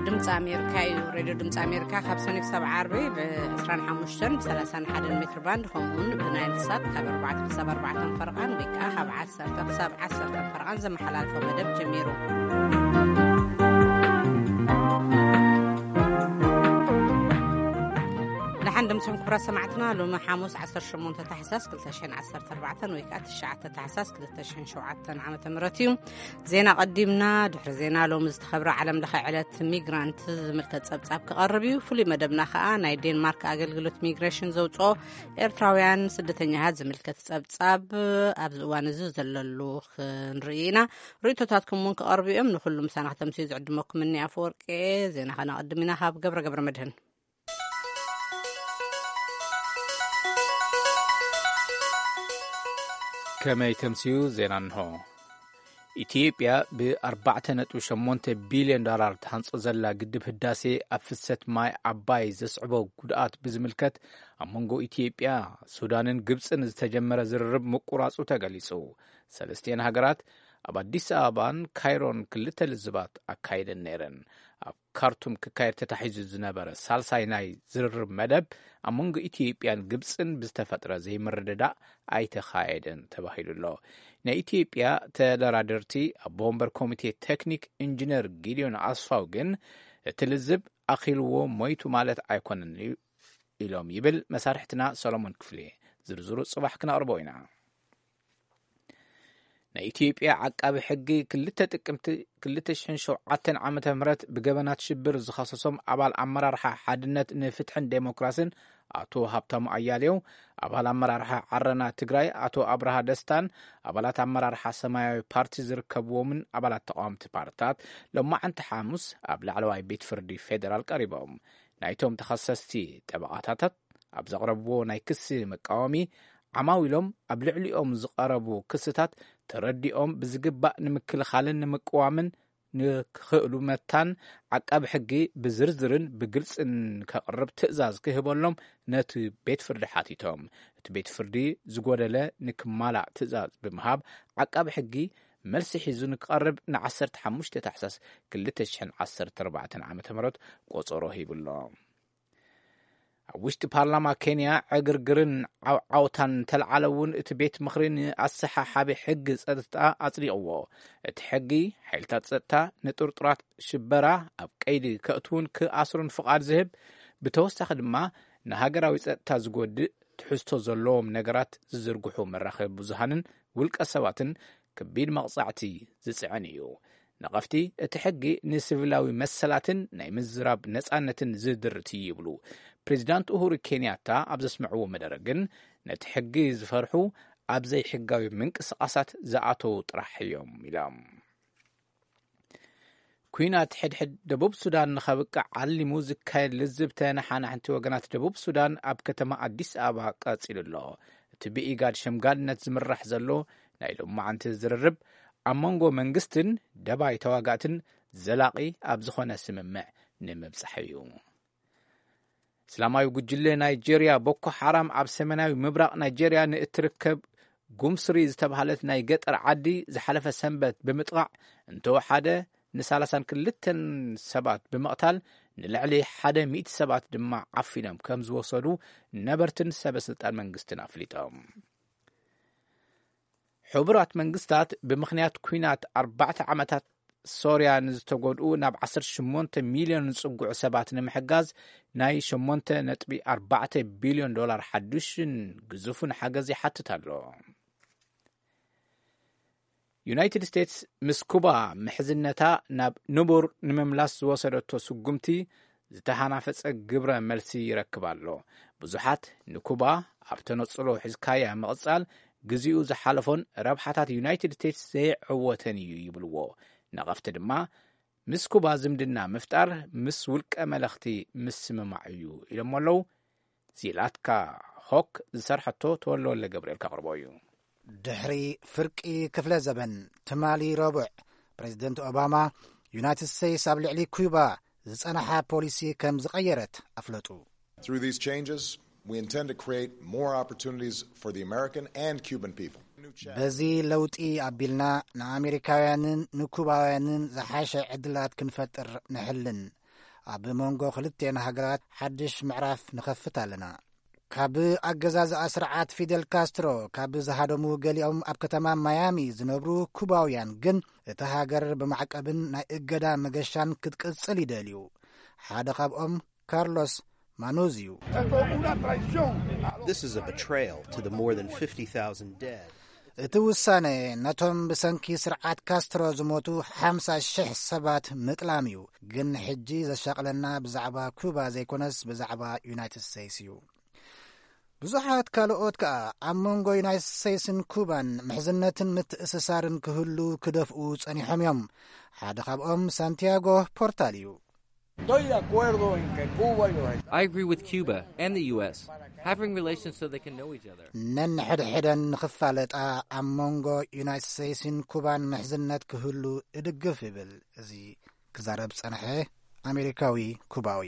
ድምፂ ኣሜሪካ እዩ። ሬድዮ ድምፂ ኣሜሪካ ካብ ሰኒ ክሳብ ዓርቢ ብ25 ብ31 ሜትር ባንድ፣ ከምኡውን ብናይል ሳት ካብ ኣርባዕተ ክሳብ ኣርባዕተ ፈረቓን ወይ ከዓ ካብ ዓሰርተ ክሳብ ዓሰርተ ፈረቓን ዘመሓላልፎ መደብ ጀሚሩ። ደሓን ደምስኹም ክቡራት ሰማዕትና። ሎሚ ሓሙስ ዓሰርተ ሸሞንተ ታሕሳስ ክልተ ሽሕን ዓሰርተ ኣርባዕተን ወይ ከዓ ትሽዓተ ታሕሳስ ክልተ ሽሕን ሸውዓተን ዓመተ ምህረት እዩ። ዜና ቀዲምና። ድሕሪ ዜና፣ ሎሚ ዝተኸብረ ዓለም ለኸ ዕለት ሚግራንት ዝምልከት ጸብጻብ ክቐርብ እዩ። ፍሉይ መደብና ከኣ ናይ ዴንማርክ ኣገልግሎት ሚግሬሽን ዘውጽኦ ኤርትራውያን ስደተኛታት ዝምልከት ጸብጻብ ኣብዚ እዋን እዚ ዘለሉ ክንርኢ ኢና። ርእይቶታትኩም እውን ክቐርቡ እዮም። ንኹሉ ምሳና ከተምስዩ ዝዕድመኩም እኒ ኣፈወርቂ። ዜና ከነቐድም ኢና ካብ ገብረ ገብረ መድህን። ከመይ ተምስዩ? ዜና እንሆ። ኢትዮጵያ ብ4.8 ቢልዮን ዶላር ትሃንጾ ዘላ ግድብ ህዳሴ ኣብ ፍሰት ማይ ዓባይ ዘስዕቦ ጉድኣት ብዝምልከት ኣብ መንጎ ኢትዮጵያ፣ ሱዳንን ግብጽን ዝተጀመረ ዝርርብ ምቁራጹ ተገሊጹ። ሰለስቲኤን ሃገራት ኣብ ኣዲስ ኣበባን ካይሮን ክልተ ልዝባት ኣካይደን ነይረን። ኣብ ካርቱም ክካየድ ተታሒዙ ዝነበረ ሳልሳይ ናይ ዝርርብ መደብ ኣብ መንጎ ኢትዮጵያን ግብጽን ብዝተፈጥረ ዘይምርድዳእ ኣይተኻየደን ተባሂሉ ኣሎ። ናይ ኢትዮጵያ ተደራደርቲ ኣቦ ወንበር ኮሚቴ ቴክኒክ ኢንጂነር ጊዲዮን ኣስፋው ግን፣ እቲ ልዝብ ኣኺልዎ ሞይቱ ማለት ኣይኮነን ኢሎም ይብል መሳርሕትና ሰሎሞን ክፍሌ። ዝርዝሩ ጽባሕ ክነቕርቦ ኢና። ናይ ኢትዮጵያ ዓቃቢ ሕጊ ክልተ ጥቅምቲ ክልተ ሽሕን ሸውዓተን ዓመተ ምህረት ብገበናት ሽብር ዝኸሰሶም ኣባል ኣመራርሓ ሓድነት ንፍትሕን ዴሞክራስን ኣቶ ሃብታሙ ኣያሌው፣ ኣባል ኣመራርሓ ዓረና ትግራይ ኣቶ ኣብርሃ ደስታን ኣባላት ኣመራርሓ ሰማያዊ ፓርቲ ዝርከብዎምን ኣባላት ተቃወምቲ ፓርትታት ሎማዓንቲ ሓሙስ ኣብ ላዕለዋይ ቤት ፍርዲ ፌደራል ቀሪቦም። ናይቶም ተኸሰስቲ ጠበቓታታት ኣብ ዘቕረብዎ ናይ ክሲ መቃወሚ፣ ዓማዊሎም ኣብ ልዕሊኦም ዝቐረቡ ክስታት ተረዲኦም ብዝግባእ ንምክልኻልን ንምቅዋምን ንክኽእሉ መታን ዓቃቢ ሕጊ ብዝርዝርን ብግልጽን ከቕርብ ትእዛዝ ክህበሎም ነቲ ቤት ፍርዲ ሓቲቶም። እቲ ቤት ፍርዲ ዝጎደለ ንክማላእ ትእዛዝ ብምሃብ፣ ዓቃቢ ሕጊ መልሲ ሒዙ ንክቐርብ ን15 ታሕሳስ ክልተ ሽሕን ዓሰርተ ኣርባዕተን ዓመተ ምህረት ቆጸሮ ሂቡሎ። ኣብ ውሽጢ ፓርላማ ኬንያ ዕግርግርን ዓውዓውታን እንተልዓለ እውን፣ እቲ ቤት ምኽሪ ንኣሰሓሓቢ ሕጊ ጸጥታ ኣጽዲቕዎ። እቲ ሕጊ፣ ሓይልታት ጸጥታ ንጥርጡራት ሽበራ ኣብ ቀይዲ ከእትዉን ክኣስሩን ፍቓድ ዝህብ፣ ብተወሳኺ ድማ ንሃገራዊ ጸጥታ ዝጎድእ ትሕዝቶ ዘለዎም ነገራት ዝዝርግሑ መራኸቢ ብዙሃንን ውልቀ ሰባትን ከቢድ መቕጻዕቲ ዝጽዕን እዩ። ነቐፍቲ፣ እቲ ሕጊ ንሲቪላዊ መሰላትን ናይ ምዝራብ ነጻነትን ዝድርት እዩ ይብሉ። ፕሬዚዳንት ኡሁሩ ኬንያታ ኣብ ዘስምዕዎ መደረ ግን፣ ነቲ ሕጊ ዝፈርሑ ኣብ ዘይሕጋዊ ምንቅስቓሳት ዝኣተዉ ጥራሕ እዮም ኢሎም። ኲናት ሕድሕድ ደቡብ ሱዳን ንኸብቅዕ ዓሊሙ ዝካየድ ልዝብ ተነሓናሕንቲ ወገናት ደቡብ ሱዳን ኣብ ከተማ ኣዲስ ኣበባ ቀጺሉ ኣሎ። እቲ ብኢጋድ ሸምጋልነት ዝምራሕ ዘሎ ናይ ሎማዓንቲ ዝርርብ፣ ኣብ መንጎ መንግስትን ደባይ ተዋጋእትን ዘላቒ ኣብ ዝኾነ ስምምዕ ንምብጻሕ እዩ። እስላማዊ ጉጅለ ናይጄርያ ቦኮ ሓራም ኣብ ሰሜናዊ ምብራቕ ናይጄርያ ንእትርከብ ጉምስሪ ዝተባህለት ናይ ገጠር ዓዲ ዝሓለፈ ሰንበት ብምጥቓዕ፣ እንተወሓደ ን32 ሰባት ብምቕታል፣ ንልዕሊ ሓደ ሚእቲ ሰባት ድማ ዓፊኖም ከም ዝወሰዱ ነበርትን ሰበ ስልጣን መንግስትን ኣፍሊጦም። ሕቡራት መንግስታት ብምኽንያት ኲናት ኣርባዕተ ዓመታት ሶርያ ንዝተጎድኡ ናብ ዓሰርተ ሸሞንተ ሚልዮን ዝጽግዑ ሰባት ንምሕጋዝ ናይ ሸሞንተ ነጥቢ ኣርባዕተ ቢልዮን ዶላር ሓዱሽን ግዙፍን ሓገዝ ይሓትት ኣሎ። ዩናይትድ ስቴትስ ምስ ኩባ ምሕዝነታ ናብ ንቡር ንምምላስ ዝወሰደቶ ስጉምቲ ዝተሃናፈጸ ግብረ መልሲ ይረክብ ኣሎ። ብዙሓት ንኩባ ኣብ ተነጽሎ ሒዝካያ ምቕጻል ግዜኡ ዝሓለፎን ረብሓታት ዩናይትድ ስቴትስ ዘይዕወተን እዩ ይብልዎ። ነቐፍቲ ድማ፣ ምስ ኩባ ዝምድና ምፍጣር ምስ ውልቀ መለኽቲ ምስምማዕ እዩ ኢሎሞ ኣለዉ። ዚላትካ ሆክ ዝሰርሐቶ ተወልደወልደ ገብርኤል ከቕርቦ እዩ። ድሕሪ ፍርቂ ክፍለ ዘበን ትማሊ ረቡዕ፣ ፕሬዚደንት ኦባማ፣ ዩናይትድ ስቴትስ ኣብ ልዕሊ ኩባ ዝጸንሓ ፖሊሲ ከም ዝቐየረት ኣፍለጡ። Through these changes, we intend to create more opportunities for the American and Cuban people. በዚ ለውጢ ኣቢልና ንኣሜሪካውያንን ንኩባውያንን ዝሓሸ ዕድላት ክንፈጥር ንሕልን። ኣብ መንጎ ክልቴን ሃገራት ሓድሽ ምዕራፍ ንኸፍት ኣለና። ካብ ኣገዛዝኣ ስርዓት ፊደል ካስትሮ ካብ ዝሃደሙ ገሊኦም ኣብ ከተማ ማያሚ ዝነብሩ ኩባውያን ግን፣ እታ ሃገር ብማዕቀብን ናይ እገዳ መገሻን ክትቅጽል ይደልዩ። ሓደ ካብኦም ካርሎስ ማኑዝ እዩ። This is a betrayal to the more than fifty thousand dead. እቲ ውሳነ ነቶም ብሰንኪ ስርዓት ካስትሮ ዝሞቱ ሓምሳ ሽሕ ሰባት ምጥላም እዩ። ግን ሕጂ ዘሻቕለና ብዛዕባ ኩባ ዘይኮነስ ብዛዕባ ዩናይትድ ስቴትስ እዩ። ብዙሓት ካልኦት ከኣ ኣብ መንጎ ዩናይትድ ስቴትስን ኩባን ምሕዝነትን ምትእስሳርን ክህሉ ክደፍኡ ጸኒሖም እዮም። ሓደ ካብኦም ሳንቲያጎ ፖርታል እዩ። Estoy de acuerdo en que Cuba y los Estados I agree with Cuba and the U S having relations so they can know each other. ነንሕድሕደን ንኽፋለጣ ኣብ መንጎ ዩናይትድ ስቴትስን ኩባን ምሕዝነት ክህሉ እድግፍ ይብል። እዚ ክዛረብ ጸንሐ ኣሜሪካዊ ኩባዊ።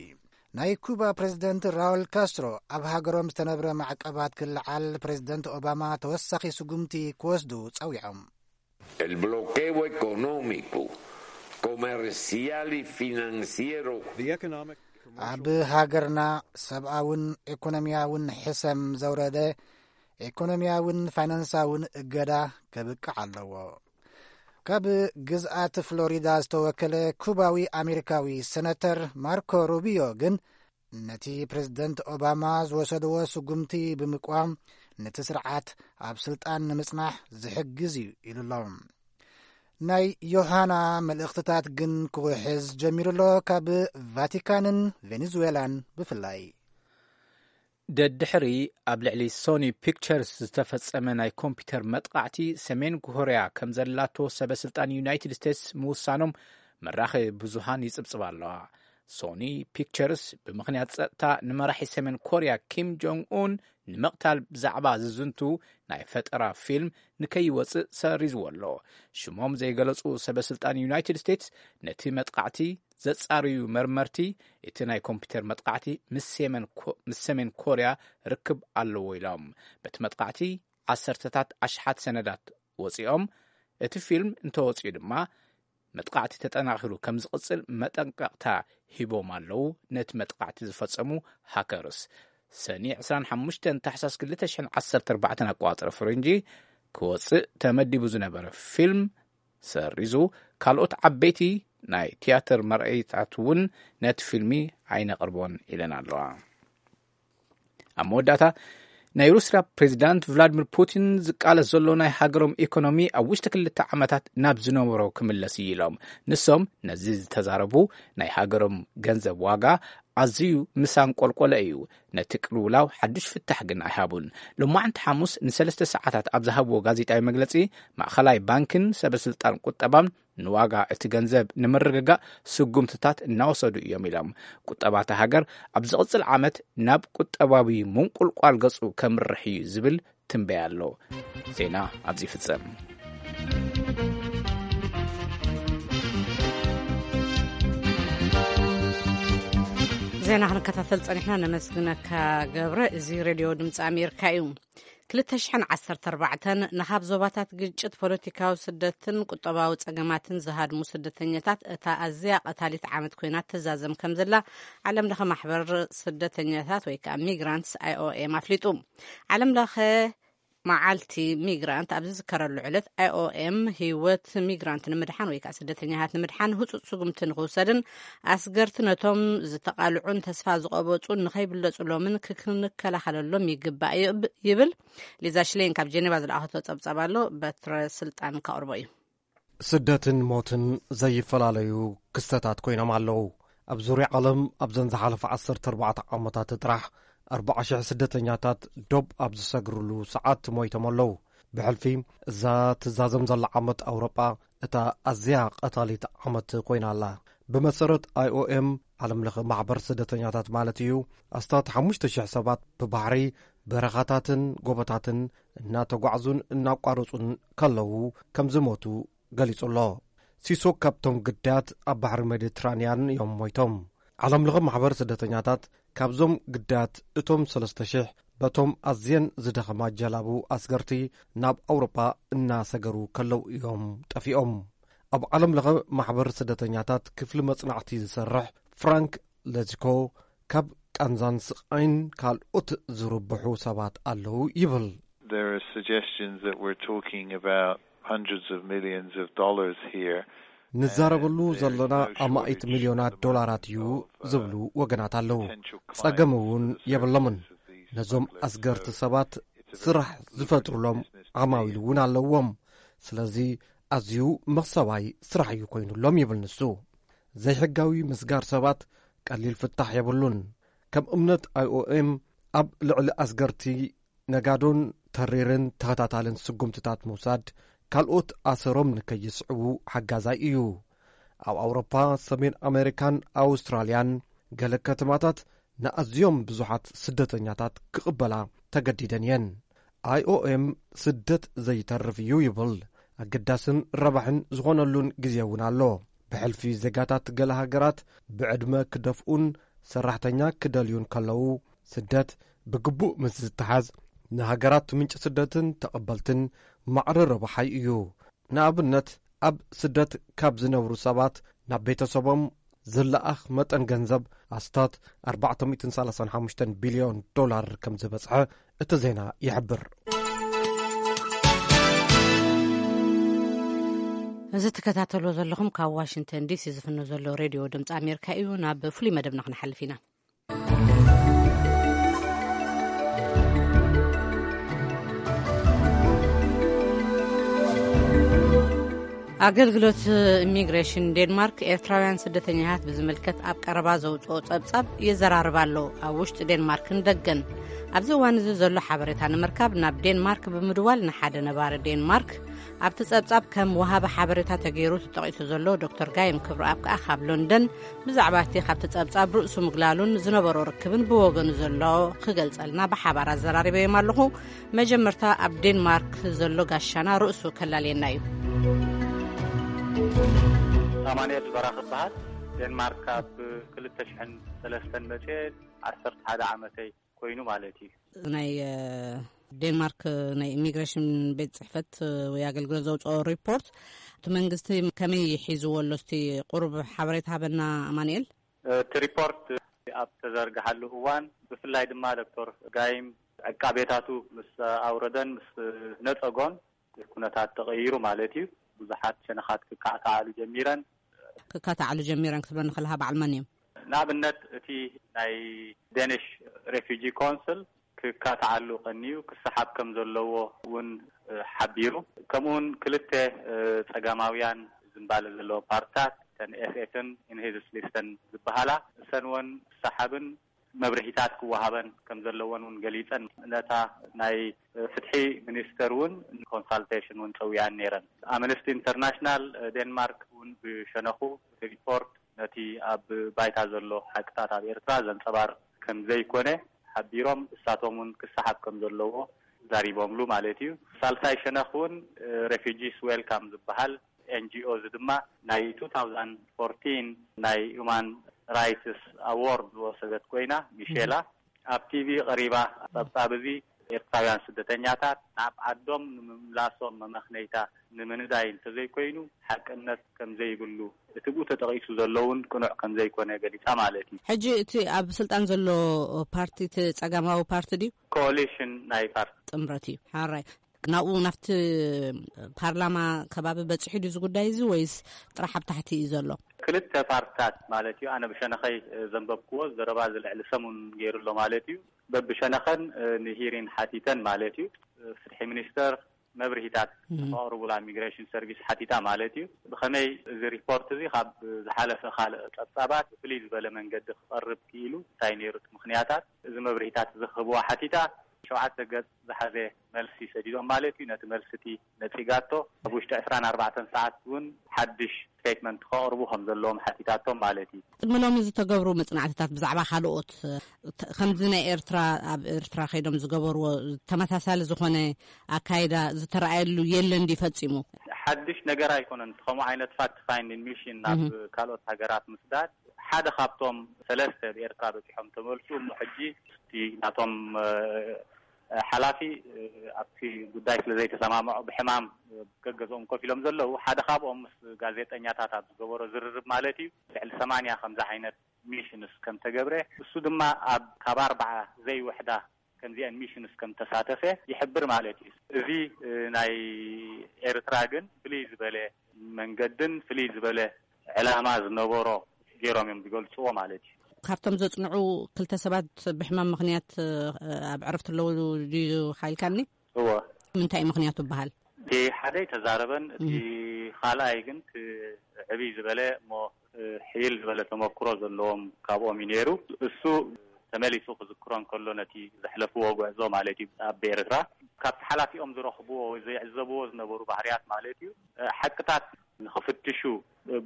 ናይ ኩባ ፕሬዝደንት ራውል ካስትሮ ኣብ ሃገሮም ዝተነብረ ማዕቀባት ክልዓል ፕሬዝደንት ኦባማ ተወሳኺ ስጉምቲ ክወስዱ ጸዊዖም። El bloqueo económico, comercial y financiero The economic, ኣብ ሃገርና ሰብኣውን ኢኮኖሚያውን ሕሰም ዘውረደ ኢኮኖሚያውን ፋይናንሳውን እገዳ ከብቅዕ ኣለዎ። ካብ ግዝኣት ፍሎሪዳ ዝተወከለ ኩባዊ ኣሜሪካዊ ሰነተር ማርኮ ሩቢዮ ግን፣ ነቲ ፕሬዝደንት ኦባማ ዝወሰድዎ ስጉምቲ ብምቅዋም፣ ነቲ ስርዓት ኣብ ስልጣን ንምጽናሕ ዝሕግዝ እዩ ኢሉ ኣሎ። ናይ ዮሃና መልእኽትታት ግን ክውሕዝ ጀሚሩ ኣሎ፣ ካብ ቫቲካንን ቬኔዙዌላን ብፍላይ። ደድሕሪ ኣብ ልዕሊ ሶኒ ፒክቸርስ ዝተፈጸመ ናይ ኮምፒውተር መጥቓዕቲ፣ ሰሜን ኮርያ ከም ዘላቶ ሰበ ስልጣን ዩናይትድ ስቴትስ ምውሳኖም መራኸቢ ብዙሃን ይጽብጽባ ኣለዋ። ሶኒ ፒክቸርስ ብምኽንያት ጸጥታ ንመራሒ ሰሜን ኮርያ ኪም ጆንግ ኡን ንምቕታል ብዛዕባ ዝዝንቱ ናይ ፈጠራ ፊልም ንከይወጽእ ሰሪዝዎ ኣሎ። ሽሞም ዘይገለጹ ሰበ ስልጣን ዩናይትድ ስቴትስ ነቲ መጥቓዕቲ ዘጻርዩ መርመርቲ፣ እቲ ናይ ኮምፒውተር መጥቓዕቲ ምስ ሰሜን ኮ- ምስ ሰሜን ኮርያ ርክብ ኣለዎ ኢሎም። በቲ መጥቓዕቲ ዓሰርተታት ኣሽሓት ሰነዳት ወጺኦም፣ እቲ ፊልም እንተወጺኡ ድማ መጥቓዕቲ ተጠናኺሩ ከም ዝቕጽል መጠንቀቕታ ሂቦም ኣለዉ። ነቲ መጥቓዕቲ ዝፈጸሙ ሃከርስ ሰኒ ዕስራን ሓሙሽተን ታሕሳስ ክልተ ሽሕን ዓሰርተ ኣርባዕተን ኣቆጻጽራ ፈረንጂ ክወጽእ ተመዲቡ ዝነበረ ፊልም ሰሪዙ፣ ካልኦት ዓበይቲ ናይ ትያትር መርኣይታት እውን ነቲ ፊልሚ ኣይነቕርቦን ኢለን ኣለዋ። ኣብ መወዳእታ፣ ናይ ሩስያ ፕሬዚዳንት ቭላድሚር ፑቲን ዝቃለስ ዘሎ ናይ ሃገሮም ኢኮኖሚ ኣብ ውሽጢ ክልተ ዓመታት ናብ ዝነበሮ ክምለስ እዩ ኢሎም። ንሶም ነዚ ዝተዛረቡ፣ ናይ ሃገሮም ገንዘብ ዋጋ ኣዝዩ ምስ ኣንቆልቆለ እዩ። ነቲ ቅልውላው ሓዱሽ ፍታሕ ግን ኣይሃቡን። ሎማዕንቲ ሓሙስ ንሰለስተ ሰዓታት ኣብ ዝሃብዎ ጋዜጣዊ መግለጺ፣ ማእኸላይ ባንክን ሰበ ስልጣን ቁጠባን ንዋጋ እቲ ገንዘብ ንምርግጋእ ስጉምትታት እናወሰዱ እዮም ኢሎም። ቁጠባ እታ ሃገር ኣብ ዝቕጽል ዓመት ናብ ቁጠባዊ ምንቁልቋል ገጹ ከምርሕ እዩ ዝብል ትንበያ ኣሎ። ዜና ኣብዚ ይፍጸም። ዜና ክንከታተል ጸኒሕና፣ ነመስግነካ ገብረ። እዚ ሬድዮ ድምፂ ኣሜሪካ እዩ። ክልተ ሽሕን ዓሰርተ ኣርባዕተን ንኻብ ዞባታት ግጭት፣ ፖለቲካዊ ስደትን ቁጠባዊ ጸገማትን ዝሃድሙ ስደተኛታት እታ ኣዝያ ቀታሊት ዓመት ኮይና ትዛዘም ከም ዘላ ዓለም ለኸ ማሕበር ስደተኛታት ወይ ከዓ ሚግራንትስ ኣይኦኤም ኣፍሊጡ። ዓለም ለኸ መዓልቲ ሚግራንት ኣብ ዝዝከረሉ ዕለት፣ ኣይኦኤም ህይወት ሚግራንት ንምድሓን ወይ ከዓ ስደተኛታት ንምድሓን ህፁፅ ስጉምቲ ንክውሰድን ኣስገርቲ ነቶም ዝተቓልዑን ተስፋ ዝቐበፁን ንኸይብለፁሎምን ክንከላኸለሎም ይግባእ ይብል። ሊዛ ሽሌን ካብ ጀኔቫ ዝለኣኸቶ ፀብፃብ ኣሎ፣ በትረ ስልጣን ከቕርቦ እዩ። ስደትን ሞትን ዘይፈላለዩ ክስተታት ኮይኖም ኣለዉ። ኣብ ዙርያ ዓለም ኣብዘን ዝሓለፈ ዓሰርተ ኣርባዕተ ዓመታት ጥራሕ ኣርባዓ ሽሕ ስደተኛታት ዶብ ኣብ ዝሰግርሉ ሰዓት ሞይቶም ኣለዉ። ብሕልፊ እዛ ትዛዘም ዘላ ዓመት ኣውሮጳ እታ ኣዝያ ቀታሊት ዓመት ኮይና ኣላ። ብመሰረት ኣይኦኤም፣ ዓለም ለኸ ማሕበር ስደተኛታት ማለት እዩ፣ ኣስታት ሓሙሽተ ሽሕ ሰባት ብባሕሪ፣ በረኻታትን ጎቦታትን እናተጓዕዙን እናቋረጹን ከለዉ ከም ዝሞቱ ገሊጹ ኣሎ። ሲሶ ካብቶም ግዳያት ኣብ ባሕሪ ሜዲትራንያን እዮም ሞይቶም። ዓለም ለኸ ማሕበር ስደተኛታት ካብዞም ግዳያት እቶም ሰለስተ ሽሕ በቶም ኣዝየን ዝደኸማ ጀላቡ ኣስገርቲ ናብ ኣውሮጳ እናሰገሩ ከለዉ እዮም ጠፊኦም። ኣብ ዓለም ለኸ ማሕበር ስደተኛታት ክፍሊ መጽናዕቲ ዝሰርሕ ፍራንክ ለዚኮ ካብ ቃንዛን ስቓይን ካልኦት ዝርብሑ ሰባት ኣለዉ ይብል። There are suggestions that we're talking about hundreds of millions of dollars here. ንዛረበሉ ዘለና ኣማኢት ሚልዮናት ዶላራት እዩ ዝብሉ ወገናት ኣለዉ። ጸገም እውን የብሎምን። ነዞም ኣስገርቲ ሰባት ስራሕ ዝፈጥሩሎም ዓማዊል እውን ኣለዎም። ስለዚ ኣዝዩ መኽሰባይ ስራሕ እዩ ኮይኑሎም ይብል ንሱ። ዘይሕጋዊ ምስጋር ሰባት ቀሊል ፍታሕ የብሉን። ከም እምነት ኣይኦኤም ኣብ ልዕሊ ኣስገርቲ ነጋዶን ተሪርን ተኸታታልን ስጉምትታት ምውሳድ ካልኦት ኣሰሮም ንከይስዕቡ ሓጋዛይ እዩ። ኣብ ኣውሮፓ፣ ሰሜን ኣሜሪካን ኣውስትራልያን ገለ ከተማታት ንኣዝዮም ብዙሓት ስደተኛታት ክቕበላ ተገዲደን እየን። ኣይኦኤም ስደት ዘይተርፍ እዩ ይብል። ኣገዳስን ረባሕን ዝኾነሉን ግዜ እውን ኣሎ። ብሕልፊ ዜጋታት ገለ ሃገራት ብዕድመ ክደፍኡን ሰራሕተኛ ክደልዩን ከለዉ፣ ስደት ብግቡእ ምስ ዝተሓዝ ንሃገራት ምንጪ ስደትን ተቐበልትን ማዕረ ረብሓይ እዩ። ንኣብነት፣ ኣብ ስደት ካብ ዝነብሩ ሰባት ናብ ቤተሰቦም ዝለኣኽ መጠን ገንዘብ ኣስታት ኣርባዕተ ሚእትን ሰላሳን ሓሙሽተን ቢልዮን ዶላር ከም ዝበጽሐ እቲ ዜና ይሕብር። እዚ ትከታተልዎ ዘለኹም ካብ ዋሽንግተን ዲሲ ዝፍኖ ዘሎ ሬድዮ ድምፂ ኣሜሪካ እዩ። ናብ ፍሉይ መደብና ክንሓልፍ ኢና። ኣገልግሎት ኢሚግሬሽን ዴንማርክ ኤርትራውያን ስደተኛታት ብዝምልከት ኣብ ቀረባ ዘውፅኦ ጸብጻብ የዘራርብ ኣሎ። ኣብ ውሽጢ ዴንማርክን ደገን ኣብዚ እዋን እዚ ዘሎ ሓበሬታ ንምርካብ ናብ ዴንማርክ ብምድዋል ንሓደ ነባሪ ዴንማርክ ኣብቲ ጸብጻብ ከም ወሃቢ ሓበሬታ ተገይሩ ተጠቒሱ ዘሎ ዶክተር ጋይም ክብረኣብ ከኣ ካብ ሎንደን ብዛዕባ እቲ ካብቲ ጸብጻብ ርእሱ ምግላሉን ዝነበሮ ርክብን ብወገኑ ዘሎ ክገልጸልና ብሓባር ኣዘራሪበዮም ኣለኹ። መጀመርታ ኣብ ዴንማርክ ዘሎ ጋሻና ርእሱ ከላልየና እዩ። ኣማኑኤል በራኽ እበሃል። ዴንማርክ ካብ ክልተ ሽሕን ሰለስተን መፅኤ ዓሰርተ ሓደ ዓመተይ ኮይኑ ማለት እዩ። ናይ ዴንማርክ ናይ ኢሚግሬሽን ቤት ፅሕፈት ወይ ኣገልግሎት ዘውፅኦ ሪፖርት እቲ መንግስቲ ከመይ ሒዝዎ ኣሎ? እስቲ ቁሩብ ሓበሬታ ሃበና ኣማኑኤል። እቲ ሪፖርት ኣብ ተዘርግሓሉ እዋን ብፍላይ ድማ ዶክተር ጋይም ዕቃቤታቱ ምስ ኣውረደን ምስ ነፀጎን ኩነታት ተቐይሩ ማለት እዩ። ብዙሓት ሸነኻት ክካዕካዓሉ ጀሚረን። ክካታዓሉ ጀሚረን ክትብለኒ ከለኻ በዓል መን እዮም? ንኣብነት እቲ ናይ ዴኒሽ ሬፊጂ ኮንስል ክካታዓሉ ቀንዩ ክሰሓብ ከም ዘለዎ እውን ሓቢሩ። ከምኡውን ክልተ ፀጋማውያን ዝንባለ ዘለዎ ፓርትታት እተን ኤስኤስን ኢንሄዝስሊስተን ዝበሃላ እሰን እውን ክሰሓብን መብርሂታት ክወሃበን ከም ዘለወን እውን ገሊፀን። ነታ ናይ ፍትሒ ሚኒስተር እውን ንኮንሳልቴሽን እውን ፀዊዐን ነይረን። ኣምነስቲ ኢንተርናሽናል ዴንማርክ እውን ብሸነኹ እቲ ሪፖርት ነቲ ኣብ ባይታ ዘሎ ሓቅታት ኣብ ኤርትራ ዘንፀባርቕ ከም ዘይኮነ ሓቢሮም እሳቶም እውን ክሰሓብ ከም ዘለዎ ዛሪቦምሉ ማለት እዩ። ሳልሳይ ሸነኽ እውን ሬፊጂስ ዌልካም ዝበሃል ኤንጂኦ እዚ ድማ ናይ two thousand fourteen ናይ ሁማን ራይትስ ኣዎርድ ዝወሰደት ኮይና ሚሼላ ኣብ ቲቪ ቀሪባ ጸብጻብ እዚ ኤርትራውያን ስደተኛታት ናብ ዓዶም ንምምላሶም መመኽነይታ ንምንዳይ እንተዘይኮይኑ ሓቅነት ከም ዘይብሉ እቲ ብኡ ተጠቒሱ ዘሎ እውን ቅኑዕ ከም ዘይኮነ ገሊጻ ማለት እዩ። ሕጂ እቲ ኣብ ስልጣን ዘሎ ፓርቲ እቲ ጸጋማዊ ፓርቲ ድዩ? ኮሊሽን ናይ ፓርቲ ጥምረት እዩ። ሓራይ ናብኡ ናብቲ ፓርላማ ከባቢ በፂሑ ድዩ እዚ ጉዳይ እዚ ወይስ ጥራሕ ኣብ ታሕቲ እዩ ዘሎ? ክልተ ፓርትታት ማለት እዩ። ኣነ ብሸነኸይ ዘንበብክዎ ዘረባ እዚ ልዕሊ ሰሙን ገይሩ ኣሎ ማለት እዩ። በብሸነኸን ንሂሪን ሓቲተን ማለት እዩ። ፍትሒ ሚኒስተር መብርሂታት ከቕርቡላ ኢሚግሬሽን ሰርቪስ ሓቲታ ማለት እዩ። ብኸመይ እዚ ሪፖርት እዚ ካብ ዝሓለፈ ካልእ ጸብጻባት ብፍልይ ዝበለ መንገዲ ክቐርብ ክኢሉ እንታይ ነይሩ እቲ ምኽንያታት? እዚ መብርሂታት እዚ ክህብዋ ሓቲታ። ሸውዓተ ገጽ ዝሓዘ መልሲ ሰዲዶም ማለት እዩ። ነቲ መልሲ እቲ ነጺጋቶ ኣብ ውሽጢ ዕስራን ኣርባዕተን ሰዓት እውን ሓድሽ ስቴትመንት ከቕርቡ ከም ዘለዎም ሓቲታቶም ማለት እዩ። ቅድሚ ሎሚ ዝተገብሩ መጽናዕትታት ብዛዕባ ካልኦት ከምዚ ናይ ኤርትራ ኣብ ኤርትራ ከይዶም ዝገበርዎ ተመሳሳሊ ዝኾነ ኣካይዳ ዝተረኣየሉ የለን ድዩ ፈጺሙ? ሓድሽ ነገር ኣይኮነን። ከምኡ ዓይነት ፋክት ፋይንዲንግ ሚሽን ናብ ካልኦት ሃገራት ምስዳድ ሓደ ካብቶም ሰለስተ ብኤርትራ በጺሖም ተመልሱ እሞ ሕጂ እቲ ናቶም ሓላፊ ኣብቲ ጉዳይ ስለ ዘይተሰማምዑ ብሕማም ገገዝኦም ኮፍ ኢሎም ዘለዉ ሓደ ካብኦም ምስ ጋዜጠኛታት ኣብ ዝገበሮ ዝርርብ ማለት እዩ ልዕሊ ሰማንያ ከምዚ ዓይነት ሚሽንስ ከም ተገብረ፣ እሱ ድማ ኣብ ካብ ኣርባዓ ዘይውሕዳ ከምዚአን ሚሽንስ ከም ተሳተፈ ይሕብር ማለት እዩ። እዚ ናይ ኤርትራ ግን ፍልይ ዝበለ መንገድን ፍልይ ዝበለ ዕላማ ዝነበሮ ገይሮም እዮም ዝገልፅዎ ማለት እዩ። ካብቶም ዘፅንዑ ክልተ ሰባት ብሕማም ምኽንያት ኣብ ዕረፍቲ ኣለዉ ድዩ ሓይልካኒ? እዎ። ምንታይ እዩ ምኽንያቱ ይበሃል? እቲ ሓደ ኣይተዛረበን፣ እቲ ካልኣይ ግን ክዕብይ ዝበለ እሞ ሕይል ዝበለ ተመክሮ ዘለዎም ካብኦም እዩ ነይሩ። እሱ ተመሊሱ ክዝክሮ እንከሎ ነቲ ዘሕለፍዎ ጉዕዞ ማለት እዩ ኣብ ኤርትራ ካብቲ ሓላፊኦም ዝረኽብዎ ወይ ዘይዕዘብዎ ዝነበሩ ባህርያት ማለት እዩ ሓቅታት ንኽፍትሹ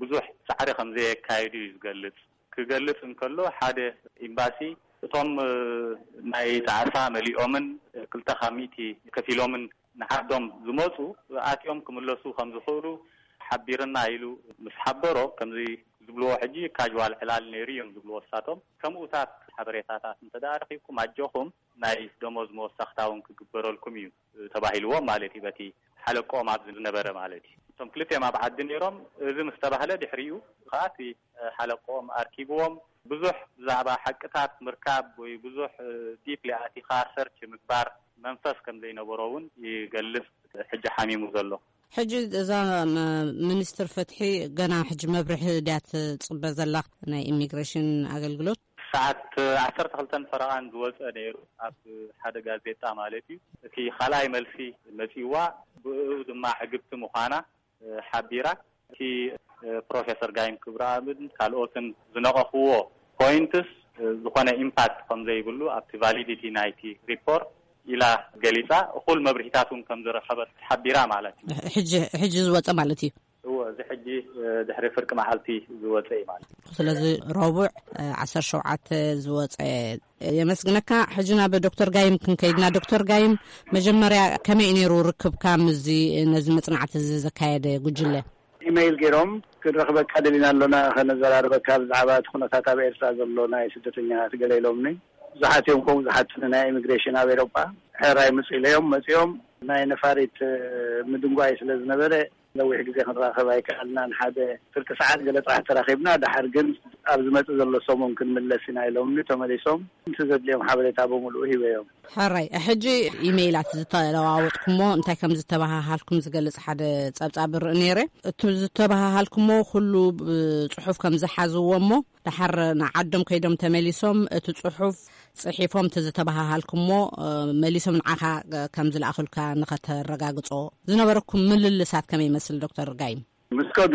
ብዙሕ ፃዕሪ ከም ዘየካየዱ እዩ ዝገልፅ። ክገልፅ እንከሎ ሓደ ኤምባሲ እቶም ናይ ጣዕሳ መሊኦምን ክልተ ካብ ሚእቲ ከፊሎምን ንዓዶም ዝመፁ ኣትዮም ክምለሱ ከም ዝኽእሉ ሓቢርና ኢሉ ምስ ሓበሮ፣ ከምዚ ዝብልዎ ሕጂ ካጅዋል ዕላል ነይሩ እዮም ዝብልዎ እሳቶም። ከምኡታት ሓበሬታታት እንተ ደኣ ረኺብኩም ኣጆኹም ናይ ደሞዝ መወሰኽታ እውን ክግበረልኩም እዩ ተባሂልዎም ማለት እዩ በቲ ሓለቆም ኣብዚ ዝነበረ ማለት እዩ። እቶም ክልቲኦም ኣብ ዓዲ ነይሮም። እዚ ምስ ተባህለ ድሕሪኡ ከዓ እቲ ሓለቆም ኣርኪብዎም ብዙሕ ብዛዕባ ሓቅታት ምርካብ ወይ ብዙሕ ዲፕሊ ኣቲኻ ሰርች ምግባር መንፈስ ከም ዘይነበሮ እውን ይገልጽ። ሕጂ ሓሚሙ ዘሎ ሕጂ እዛ ሚኒስትር ፍትሒ ገና ሕጂ መብርሒ ድያ ትጽበ ዘላ ናይ ኢሚግሬሽን ኣገልግሎት? ሰዓት ዓሰርተ ክልተን ፈረቓን ዝወፀ ነይሩ ኣብ ሓደ ጋዜጣ ማለት እዩ። እቲ ካልኣይ መልሲ መፂዋ ብኡ ድማ ዕግብቲ ምዃና ሓቢራ። እቲ ፕሮፌሰር ጋይም ክብረኣብን ካልኦትን ዝነቐፍዎ ፖይንትስ ዝኾነ ኢምፓክት ከም ዘይብሉ ኣብቲ ቫሊዲቲ ናይቲ ሪፖርት ኢላ ገሊፃ። እኹል መብርሂታት እውን ከም ዝረኸበት ሓቢራ ማለት እዩ። ሕጂ ዝወፀ ማለት እዩ። እዎ፣ እዚ ሕጂ ድሕሪ ፍርቂ መዓልቲ ዝወፀ እዩ ማለት እዩ። ስለዚ ረቡዕ ዓሰርተ ሸውዓተ ዝወፀ። የመስግነካ። ሕጂ ናብ ዶክተር ጋይም ክንከይድና። ዶክተር ጋይም፣ መጀመርያ ከመይ ነይሩ ርክብካ ምስዚ ነዚ መፅናዕቲ እዚ ዘካየደ ጉጅለ? ኢመይል ገይሮም፣ ክንረኽበካ ደሊና ኣሎና፣ ከነዘራርበካ ብዛዕባ እቲ ኩነታት ኣብ ኤርትራ ዘሎ ናይ ስደተኛታት ገለ ኢሎምኒ። ብዙሓት እዮም ከምኡ ዝሓቱኒ፣ ናይ ኢሚግሬሽን ኣብ ኤሮጳ። ሕራይ ምጽእ ኢለዮም መጺኦም። ናይ ነፋሪት ምድንጓይ ስለ ዝነበረ ነዊሕ ግዜ ክንራኸብ ኣይከኣልናን። ሓደ ፍርቂ ሰዓት ገለ ጥራሕ ተራኺብና። ደሓር ግን ኣብ ዝመጽእ ዘሎ ሰሙን ክንምለስ ኢና ኢሎምኒ። ተመሊሶም፣ እቲ ዘድልዮም ሓበሬታ ብምሉኡ ሂበዮም። ሕራይ፣ ሕጂ ኢሜይላት ዝተለዋወጥኩሞ እንታይ ከም ዝተባሃሃልኩም ዝገልጽ ሓደ ጸብጻብ ርኢ ነይረ። እቲ ዝተባሃሃልኩሞ ኩሉ ብጽሑፍ ከም ዝሓዝዎ እሞ፣ ደሓር ንዓዶም ከይዶም ተመሊሶም እቲ ጽሑፍ ጽሒፎም እቲ ዝተባሃሃልኩሞ መሊሶም ንዓኻ ከም ዝለኣኹልካ ንኸተረጋግጾ ዝነበረኩም ምልልሳት ከመይ ይመስል ዶክተር ጋይም? ምስ ከዱ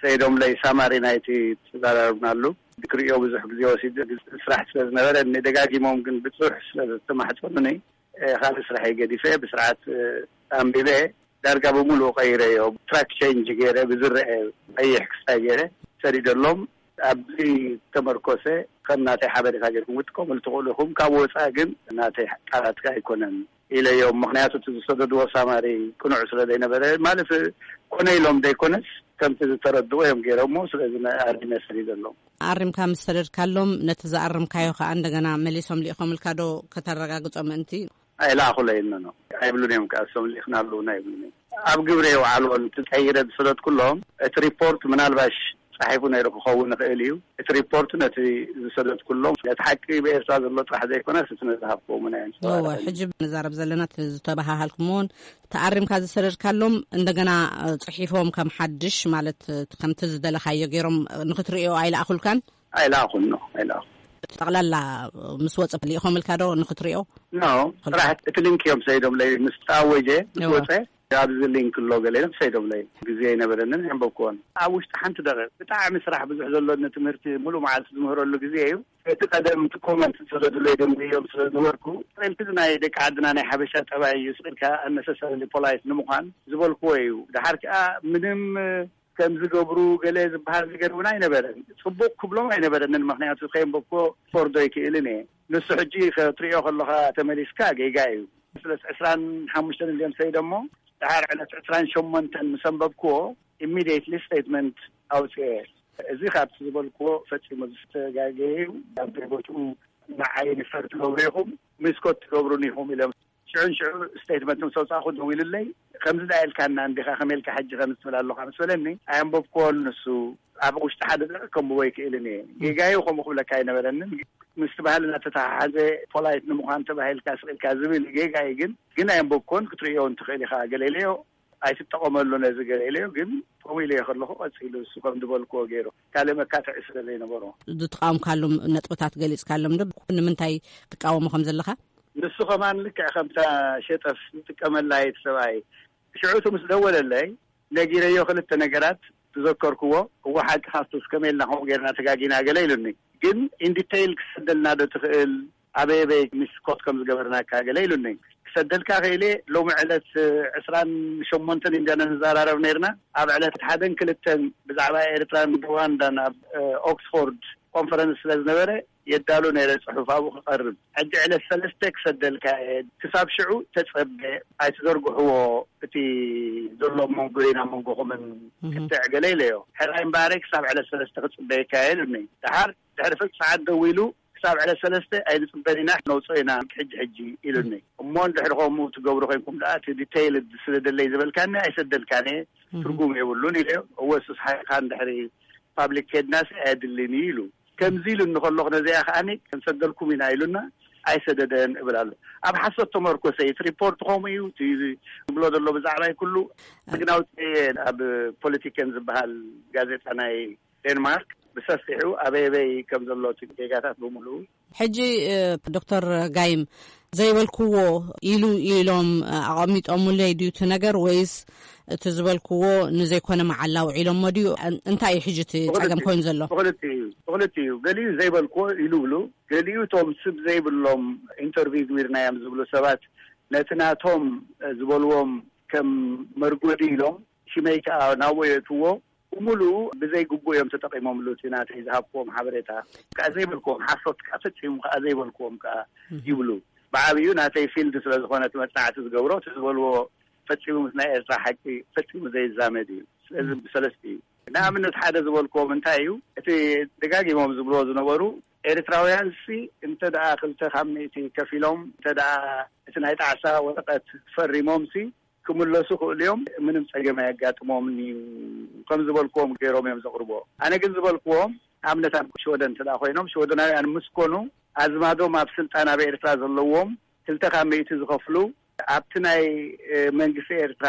ሰይዶም ለይ ሳማሪ ናይቲ ተዘራረብናሉ። ክርእዮ ብዙሕ ግዜ ወሲዱ፣ ስራሕ ስለ ዝነበረ፣ ደጋጊሞም ግን ብጽሑፍ ስለ ዝተማሕጸኑኒ፣ ካልእ ስራሐይ ገዲፈ ብስርዓት ኣንቢበ ዳርጋ ብምሉኡ ቀይረዮ። ትራክ ቼንጅ ገይረ ብዝረአ ቀይሕ ክስታይ ገይረ ሰዲደሎም። ኣብዚ ተመርኮሰ ከም ናተይ ሓበሬታ ገይርኩም ክትጥቀሙሉ ትኽእሉ ኢኹም። ካብ ወፃኢ ግን ናተይ ቃላት ኣይኮነን ኢለዮም። ምኽንያቱ እቲ ዝሰደድዎ ሳማሪ ቅኑዕ ስለ ዘይነበረ፣ ማለት ኮነ ኢሎም ዘይኮነስ ከምቲ ዝተረድዎ እዮም ገይሮሞ። ስለዚ ኣሪመ ሰዲደሎም። ኣሪምካ ምስ ሰደድካሎም ነቲ ዝኣረምካዮ ከዓ እንደገና መሊሶም ልኢኾምልካ ዶ ከተረጋግጾ ምእንቲ? ኣይለኣኹለይን ነው ኣይብሉን እዮም። ከኣ እሶም ልኢኽናሉ እውን ኣይብሉን እዮም። ኣብ ግብሪ የውዓልዎ። እቲ ቀይረ ዝሰደድኩሎም እቲ ሪፖርት ምናልባሽ ጻሒፉ ነይሩ ክኸውን ይኽእል እዩ። እቲ ሪፖርት ነቲ ዝሰደድኩሎም ነቲ ሓቂ ብኤርትራ ዘሎ ጥራሕ ዘይኮነስ እቲ ነዝሃብክዎም እውን እወ፣ ኣየንጸባርቕን። ሕጂ ንዛረብ ዘለና እቲ ዝተበሃሃልኩምዎን ተኣሪምካ ዝሰደድካሎም እንደገና ጽሒፎም ከም ሓድሽ ማለት ከምቲ ዝደለኻዮ ገይሮም ንኽትርእዮ ኣይለኣኹልካን? ኣይለኣኹን ነው ኣይለኣኹ። ጠቕላላ ምስ ወጸ ልኢኾምልካ ዶ ንኽትርእዮ? ኖ፣ ጥራሕ እቲ ሊንክ እዮም ሰይዶምለይ። ምስ ተኣወጀ፣ ምስ እወ። ወጸ፣ ኣብዚ ሊንክ ኣሎ ገለ ኢሎም ሰይዶምለይ። ግዜ ኣይነበረንን፣ የንበብክዎን። ኣብ ውሽጢ ሓንቲ ደቂቕ ብጣዕሚ ስራሕ ብዙሕ ዘሎኒ ትምህርቲ ሙሉእ መዓልቲ ዝምህረሉ ግዜ እዩ። እቲ ቀደም እቲ ኮመንት ዝሰደዱለይ ደንጉዮም ስለ ዝነበርኩ፣ እቲ ናይ ደቂ ዓድና ናይ ሓበሻ ጠባይ እዩ፣ ስቕ ኢልካ ኣነሰሰርሊ ፖላይት ንምዃን ዝበልክዎ እዩ። ደሓር ከኣ ምንም ከም ዝገብሩ ገለ ዝበሃል ነገር እውን ኣይነበረን። ጽቡቕ ክብሎም ኣይነበረንን፣ ምኽንያቱ ከየንበብክዎ ክፈርዶ ኣይክእልን እየ። ንሱ ሕጂ ክትርእዮ ከለኻ ተመሊስካ ጌጋ እዩ። ስለዚ ዕስራን ሓሙሽተን እንድዮም ሰይዶሞ፣ ደሓር ዕለት ዕስራን ሸሞንተን ምስ ኣንበብክዎ፣ ኢሚድየትሊ ስቴትመንት ኣውጽኤ። እዚ ካብቲ ዝበልክዎ ፈጺሙ ዝተጋገየ እዩ። ኣብ ቦትኡ ንዓይ ሪፈር ትገብሩ ኢኹም፣ ሚስኮት ትገብሩን ኢኹም ኢሎም ሽዑን ሽዑ ስቴትመንት ምስ ኣውጻእኹ ደዊሉለይ፣ "ከምዚ ደኣ ኢልካና እንዲኻ፣ ከመይ ኢልካ ሕጂ ከምዚ ትብል ኣለኻ?" ምስ በለኒ፣ ኣየንበብክዎን ንሱ። ኣብ ውሽጢ ሓደ ደቂቕ ከንብቦ ኣይክእልን እየ። ጌጋዩ ከምኡ ክብለካ ኣይነበረንን። ምስቲ ባህልና ተተሓሓዘ፣ ፖላይት ንምዃን ተባሂልካ ስቕ ኢልካ ዝብል ጌጋዩ። ግን ግን ኣየንበብኩዎን። ክትርእዮ እውን ትኽእል ኢኻ። ገለ ኢለዮ ኣይትጠቐመሉ ነዚ፣ ገለ ኢለዮ። ግን ከምኡ ኢለዮ ከለኹ ቀፂሉ እሱ ከም ዝበልክዎ ገይሩ ካልእ መካትዒ ስለ ዘይነበሮ። ዝተቃወምካሎም ነጥብታት ገሊፅካሎም ዶ? ንምንታይ ትቃወሞ ከም ዘለኻ? ንሱ ከማን ልክዕ ከምታ ሸጠፍ ዝጥቀመላ እየ እቲ ሰብኣይ። ሽዑ እቲ ምስ ደወለለይ ነጊረዮ ክልተ ነገራት። ዝዘከርክዎ፣ እወ ሓቂ ካብቲ እስከ ሜልና ከምኡ ጌርና ተጋጊና ገለ ኢሉኒ። ግን ኢንዲቴይል ክሰደልና ዶ ትኽእል? ኣበይ ኣበይ ሚስኮት ከም ዝገበርናካ ገለ ኢሉኒ። ክሰደልካ ክእለ ሎሚ ዕለት ዕስራን ሸሞንተን ኢና ንዘራረብ ነርና። ኣብ ዕለት ሓደን ክልተን ብዛዕባ ኤርትራን ሩዋንዳን ኣብ ኦክስፎርድ ኮንፈረንስ ስለ ዝነበረ የዳሉ ነይረ ጽሑፍ ኣብኡ ክቐርብ። ሕጂ ዕለት ሰለስተ ክሰደልካ እየ፣ ክሳብ ሽዑ ተጸበ፣ ኣይትዘርግሕዎ፣ እቲ ዘሎ መንጎ ኢና መንጎኹምን ክትዕ ገለ ኢለዮ። ሕራይ እምበኣረይ ክሳብ ዕለት ሰለስተ ክጽበየካ እየ ኢሉኒ። ደሓር ድሕሪ ፍርቂ ሰዓት ደዊሉ፣ ክሳብ ዕለት ሰለስተ ኣይንጽበን ኢና፣ ነውጽኦ ኢና ሕጂ ሕጂ ኢሉኒ። እሞ እንድሕሪ ከምኡ ትገብሩ ኮይንኩም ደኣ እቲ ዲቴይል ስደደለይ ዝበልካኒ ኣይሰደልካን እየ፣ ትርጉም የብሉን ኢለዮ። እወ እሱስ ሓይኻ እንድሕሪ ፓብሊክ ከድናሲ ኣየድልን እዩ ኢሉ። ከምዚ ኢሉ እንከሎ ነዚኣ ከኣኒ ክንሰደልኩም ኢና ኢሉና ኣይሰደደን እብል ኣሎ። ኣብ ሓሶት ተመርኮሰ እዩ። እቲ ሪፖርት ከምኡ እዩ። እቲ ዝብሎ ዘሎ ብዛዕባይ ኩሉ ምግናውቲ ኣብ ፖለቲከን ዝበሃል ጋዜጣ ናይ ዴንማርክ ብሰፊሑ ኣበይ ኣበይ ከም ዘሎ እቲ ጌጋታት ብምሉኡ። ሕጂ እ፣ ዶክተር ጋይም ዘይበልክዎ ኢሉ ኢሎም እ፣ ኣቐሚጦምለይ ድዩ እቲ ነገር ወይስ እቲ ዝበልክዎ ንዘይኮነ መዓላ ውዒሎሞ ድዩ? እን- እንታይ እዩ ሕጂ እቲ ጸገም ኮይኑ ዘሎ? ብኽልቲኡ እዩ። ብኽልቲኡ እዩ። ገሊኡ ዘይበልክዎ ኢሉ ብሉ፣ ገሊኡ እቶም ስም ዘይብሎም ኢንተርቪው ግቢርናዮም ዝብሉ ሰባት ነቲ ናቶም እ፣ ዝበልዎም ከም መርጎዲ ኢሎም ሽመይ ከኣ ናብኡ የእትዎ። ብምሉኡ ብዘይ ግቡእ እዮም ተጠቒሞምሉ። እቲ ናተይ ዝሃብክዎም ሓበሬታ ከኣ ዘይበልክዎም፣ ሓሶት ከኣ ፈጺሙ ከኣ ዘይበልክዎም ከኣ ይብሉ። ብዓብዩ ናተይ ፊልድ ስለ ዝኾነ እቲ መጽናዕቲ ዝገብሮ፣ እቲ ዝበልዎ ፈጺሙ ምስ ናይ ኤርትራ ሓቂ ፈጺሙ ዘይዛመድ እዩ። ስለዚ ብሰለስቲ እዩ። ንኣብነት ሓደ ዝበልክዎም እንታይ እዩ፣ እቲ ደጋጊሞም ዝብልዎ ዝነበሩ፣ ኤርትራውያንሲ እንተ ደኣ ክልተ ካብ ሚእቲ ከፊሎም እንተ ደኣ እቲ ናይ ጣዕሳ ወረቐት ፈሪሞምሲ ክምለሱ ክእሉ እዮም፣ ምንም ጸገም ኣየጋጥሞምን እዩ፣ ከም ዝበልክዎም ገይሮም እዮም ዘቕርቦ። ኣነ ግን ዝበልክዎም ኣብነት ኣብ ሽወደን እንተ ደኣ ኮይኖም፣ ሽወደናውያን ምስ ኮኑ ኣዝማዶም ኣብ ስልጣን ኣብ ኤርትራ ዘለዎም ክልተ ካብ ሚእቲ ዝኸፍሉ ኣብቲ ናይ እ፣ መንግስቲ ኤርትራ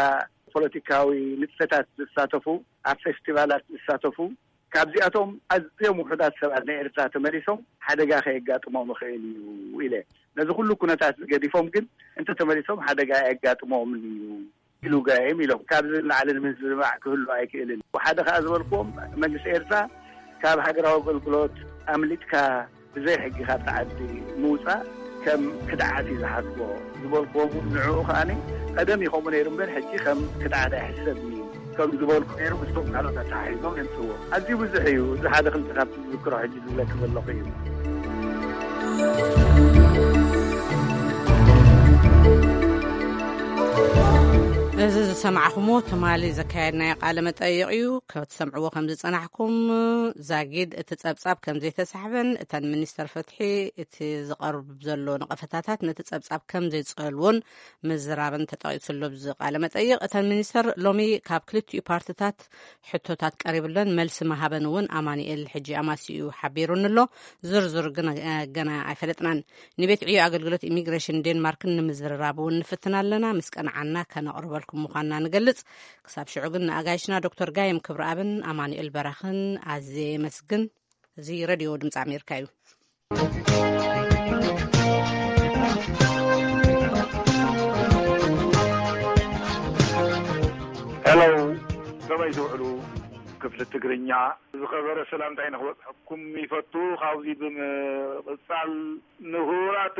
ፖለቲካዊ ንጥፈታት ዝሳተፉ፣ ኣብ ፌስቲቫላት ዝሳተፉ፣ ካብዚኣቶም ኣዝዮም ውሑዳት ሰባት ንኤርትራ ተመሊሶም ሓደጋ ከየጋጥሞም ይኽእል እዩ ኢለ። ነዚ ኩሉ ኩነታት ገዲፎም ግን እንተተመሊሶም ሓደጋ ኣየጋጥሞምን እዩ ኢሉ ጋይም ኢሎም። ካብዚ ንላዕሊ ንምዝንባዕ ክህሉ ኣይክእልን። ሓደ ከኣ ዝበልክዎም መንግስቲ ኤርትራ ካብ ሃገራዊ ኣገልግሎት ኣምሊጥካ ብዘይ ሕጊ ካብቲ ዓዲ ምውጻእ ከም ክድዓት እዩ ዝሓስቦ ዝበልክዎም እውን ንዕኡ ከኣ ቀደም እዩ ከምኡ ነይሩ እምበር ሕጂ ከም ክድዓት ኣይሕሰብን እዩ ከም ዝበልኩ ነይሩ ምስቶም ካልኦት ኣተሓሒዞም የምጽእዎ። ኣዝዩ ብዙሕ እዩ። እዚ ሓደ ክልተ ካብቲ ዝዝክሮ ሕጂ ዝብለኪ ዘለኹ እዩ። እዚ ዝሰማዕኹሞ ትማሊ ዘካየድናዮ ቃለ መጠይቕ እዩ። ክትሰምዕዎ ከም ዝጸናሕኩም፣ ዛጊድ እቲ ጸብጻብ ከም ዘይተሳሕበን እተን ሚኒስተር ፍትሒ እቲ ዝቐርብ ዘሎ ነቐፈታታት ነቲ ጸብጻብ ከም ዘይጸልዎን ምዝራብን ተጠቒሱ ኣሎ ኣብዚ ቃለ መጠይቕ። እተን ሚኒስተር ሎሚ ካብ ክልቲኡ ፓርትታት ሕቶታት ቀሪብለን መልሲ ምሃበን እውን ኣማኑኤል ሕጂ ኣማሲኡ ሓቢሩኒ ኣሎ። ዝርዝር ግን፣ እ፣ ገና ኣይፈለጥናን። ንቤት ዕዮ ኣገልግሎት ኢሚግሬሽን ዴንማርክን ንምዝርራብ እውን ንፍትን ኣለና። ምስ ቀንዓና ከነቕርበልኩም ምዃንና ንገልጽ። ክሳብ ሽዑ ግን ንኣጋይሽና ዶክተር ጋይም ክብረኣብን ኣማኑኤል በራኽን ኣዝየ የመስግን። እዚ ሬድዮ ድምፂ ኣሜሪካ እዩ። ሄሎ፣ ከመይ ትውዕሉ? ክፍሊ ትግርኛ ዝኸበረ ሰላምታይ ንኽበጽሐኩም ይፈቱ። ካብዚ ብምቕጻል ንክቡራት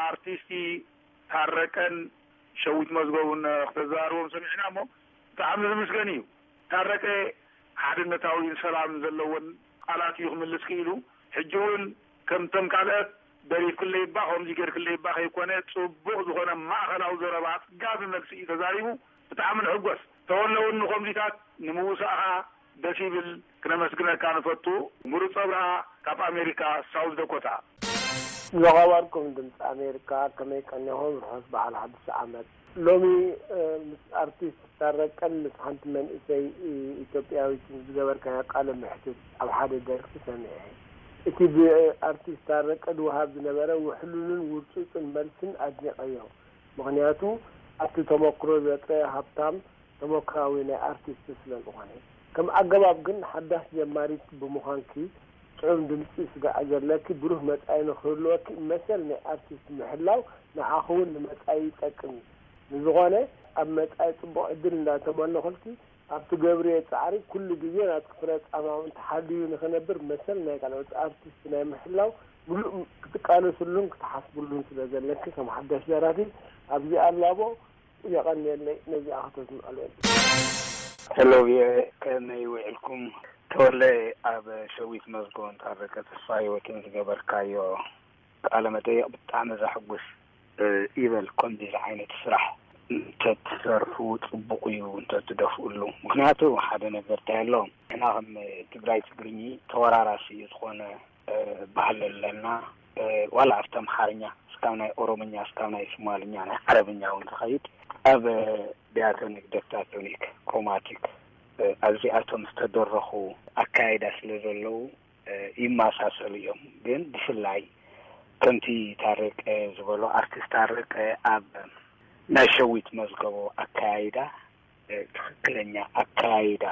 ኣርቲስቲ ታረቀን ሸዊት መዝገቡን ክተዘራርቦም ሰሚዕና እሞ ብጣዕሚ ዝምስገን እዩ። ታረቀ ሓድነታዊን ሰላም ዘለዎን ቃላት እዩ ክምልስ ክኢሉ። ሕጂ እውን ከምተን ካልአት ደሪፍክለይ እባ ከምዚ ጌርክለይ እባ ከይኮነ ጽቡቕ ዝኾነ ማእኸላዊ ዘረባ ኣጽጋቢ መልሲ እዩ ተዛሪቡ። ብጣዕሚ ንሕጎስ። ተወለ እውን ንኸምዚታት ንምውሳእኻ ደስ ይብል። ክነመስግነካ ንፈቱ። ምሩፅ ኣብርሃ ካብ ኣሜሪካ ሳውዝ ዳኮታ። ዝኸበርኩም ድምፂ ኣሜሪካ፣ ከመይ ቀኒኹም? ርሑስ በዓል ሓድሽ ዓመት። ሎሚ ምስ ኣርቲስት ታረቀን ምስ ሓንቲ መንእሰይ ኢትዮጵያዊት ዝገበርካዮ ቃለ መሕትት ኣብ ሓደ ደርፊ ሰሚዐ። እቲ ብኣርቲስት ታረቀ ዝወሃብ ዝነበረ ውሕሉልን ውርጹጽን መልስን ኣድኒቐዮ። ምኽንያቱ ኣብቲ ተመክሮ ዘጥረየ ሃብታም ተመክራዊ ናይ ኣርቲስት ስለ ዝኾነ። ከም ኣገባብ ግን ሓዳስ ጀማሪት ብምዃንኪ ጽዑም ድምጺ ስጋዕ ዘለኪ ብሩህ መጻኢ ንኽህልወኪ መሰል ናይ ኣርቲስት ምሕላው ንዓኺ እውን ንመጻኢ ይጠቅም እዩ። ንዝኾነ ኣብ መጻኢ ጽቡቕ ዕድል እንዳተመነኹልኪ ኣብ ትገብርዮ ጻዕሪ ኩሉ ግዜ ናትኪ ፍረ ጻማ እውን ተሓልዩ ንኽነብር መሰል ናይ ካልኦት ኣርቲስት ናይ ምሕላው ምሉእ ክትቃለስሉን ክትሓስብሉን ስለ ዘለኪ ከም ሓዳሽ ደራፊ ኣብዚ ኣላቦ የቐንየለይ ነዚኣ ከተስምዐሉ። ሄሎ ቪኦኤ፣ ከመይ ውዒልኩም? ተወለ፣ ኣብ ሸዊት መዝጎን ታረቀ ተስፋ ህይወትን ዝገበርካዮ ቃለ መጠየቕ ብጣዕሚ ዘሐጉስ ይበል። ከምዚ ዓይነት ስራሕ እንተትሰርሑ ጽቡቕ እዩ እንተትደፍኡሉ። ምኽንያቱ ሓደ ነገር እንታይ ኣሎ፣ ንሕና ከም ትግራይ ትግርኚ ተወራራሲ ዝኾነ ባህሊ ኣለና። ዋላ ኣብቲ ኣምሓርኛ እስካብ ናይ ኦሮምኛ እስካብ ናይ ሶማልኛ ናይ ዓረብኛ እውን ዝኸይድ ኣብ ዲያቶኒክ፣ ደክታቶኒክ፣ ክሮማቲክ ኣብዚኣቶም ዝተደረኹ ኣካይዳ ስለ ዘለዉ ይመሳሰሉ እዮም። ግን ብፍላይ ከምቲ ታረቀ ዝበሎ፣ ኣርቲስት ታረቀ ኣብ ናይ ሸዊት መዝገቦ ኣካያይዳ ትኽክለኛ ኣካያይዳ፣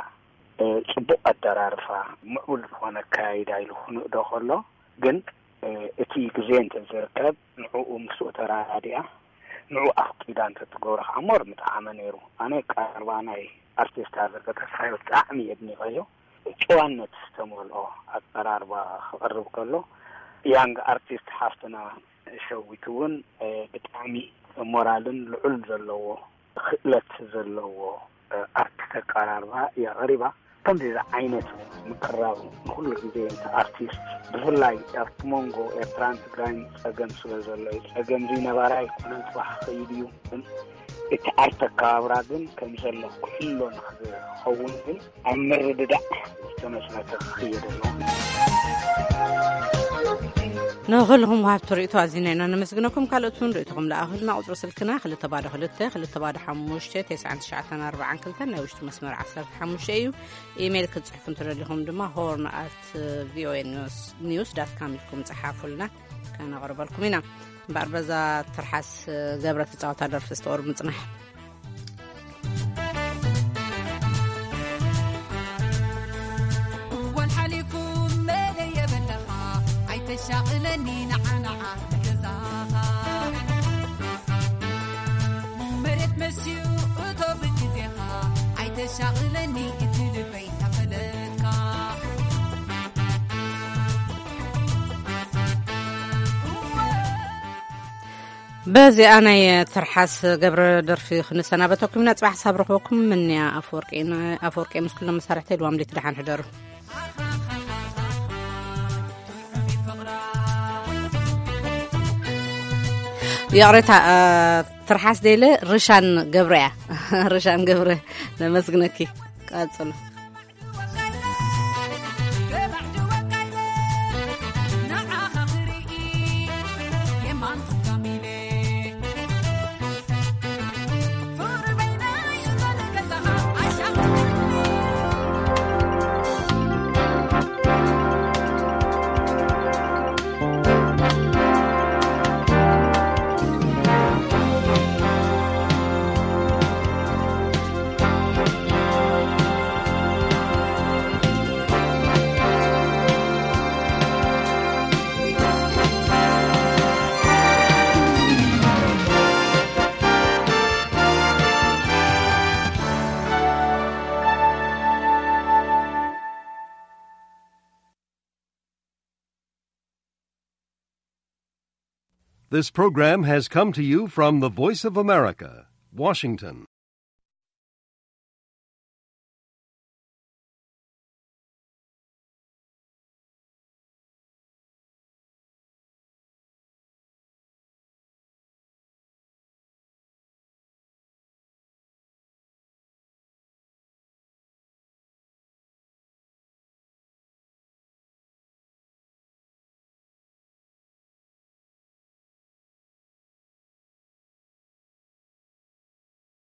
ጽቡቕ ኣደራርፋ፣ ምዕቡል ዝኾነ ኣካያይዳ ኢሉ ክንእዶ ከሎ ግን እቲ ግዜ እንተዝርከብ ንዕኡ ምስኡ ተራዲኣ ንዕኡ ኣፍቂዳ እንተትገብሮ ከዓ ሞር ምጠዓመ ነይሩ። ኣነ ቀረባ ናይ ኣርቲስት ኣዘርገ ተስፋዮ ብጣዕሚ የድኒቐዮ። ጨዋነት ዝተመልኦ ኣቀራርባ ክቐርብ ከሎ ያንግ ኣርቲስት ሓፍትና ሸዊት እውን ብጣዕሚ ሞራልን ልዑል ዘለዎ ክእለት ዘለዎ ኣርቲስት ኣቀራርባ እያ ቀሪባ። ከምዚ ዓይነት ምቅራብ ንኩሉ ግዜ እቲ ኣርቲስት ብፍላይ ኣብቲ መንጎ ኤርትራን ትግራይን ጸገም ስለ ዘሎ እዩ። ጸገም እዚ ነባራይ ኣይኮነን፣ ጽባሕ ክኸይድ እዩ። ግን እቲ ኣርት ኣከባብራ ግን ከም ዘሎ ክሕሎ ንክኸውን ግን ኣብ ምርድዳእ ዝተመስረተ ክኽየድ ኣለዎ። ንኹልኹም ወሃብቲ ርእይቶ ኣዚና ኢና ነመስግነኩም። ካልኦት እውን ርእይቶኹም ለኣኹልና። ቁጽሪ ስልክና ክልተ ባዶ ክልተ ክልተ ባዶ ሓሙሽተ ተስዓን ትሽዓተን ኣርባዓን ክልተን ናይ ውሽጢ መስመር ዓሰርተ ሓሙሽተ እዩ። ኢሜይል ክትጽሕፉ እንተደሊኹም ድማ ሆርን ኣት ቪኦኤ ኒውስ ዳት ካም ኢልኩም ጸሓፉልና፣ ከነቕርበልኩም ኢና። እምበኣር በዛ ትርሓስ ገብረ ትጻወታ ደርፊ ዝተወር ምጽናሕ። እዋን ሓሊፉ መለ የበለኻ ኣይተሻቕለኒ ንዓንዓ ገዛኻ መሬት መስዩ እቶ ብግዜኻ ኣይተሻቕለኒ እቲ ልበይ ተፈለጥካ። በዚኣ ናይ ትርሓስ ገብረ ደርፊ ክንሰናበተኩም ኢና። ጽባሕ ሳብ ረኽበኩም ምንያ ኣፈወርቂ ኢና። ኣፈወርቂ ምስ ኩሎም መሳርሕተይ ልዋም ሌት ደሓን ሕደሩ። ይቕሬታ፣ እ፣ ትርሓስ ደይለ ርሻን ገብረ እያ። ርሻን ገብረ ነመስግነኪ። ቀጽሉ። This program has come to you from the Voice of America, Washington.